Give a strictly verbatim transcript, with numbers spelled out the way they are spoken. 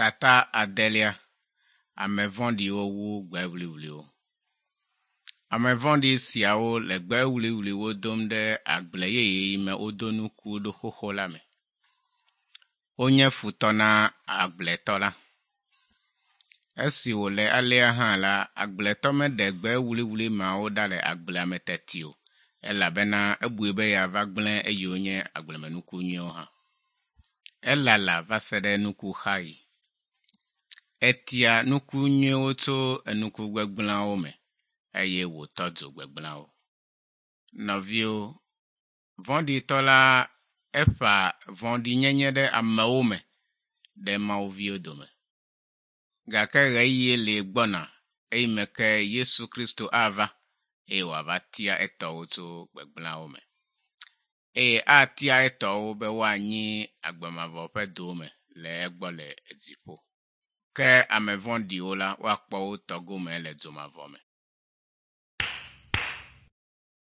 Tata adelia. Ame vɔ̃ɖiwo wu gbe wluiwluiwo. Ame vɔ̃ɖi siawo le gbe wluiwluiwo dom ɖe agble yeye yi me wodo nuku ɖo xoxo la me. Wonye futɔ na agbletɔ la. Esi wòle alea hã la, agbletɔ meɖe gbe wluiwlui mawo ɖa le agblea me teti o elabena ebui be yeava gblẽ eyiwo nye agblemenuku nyuiwo hã. Elala va se ɖe nukuxaɣi. Etia nuku nyuiwo tso enuku gbegblẽawo me eye wòtɔ dzo gbegblẽawo. Nɔviwo, vɔ̃ɖitɔ la eƒã vɔ̃ɖinyenye ɖe amewo me ɖe mawuviwo dome. Gake ɣeyiɣi li gbɔna eyime ke Yesu Kristo ava eye wòava tia etɔwo tso gbegblẽawo me. Eye atia etɔwo be woanyi agbemavɔ ƒe dome le egbɔ le dziƒo. Ke ame vɔ̃ɖiwo la, woakpɔ wo tɔ gome le dzomavɔ me.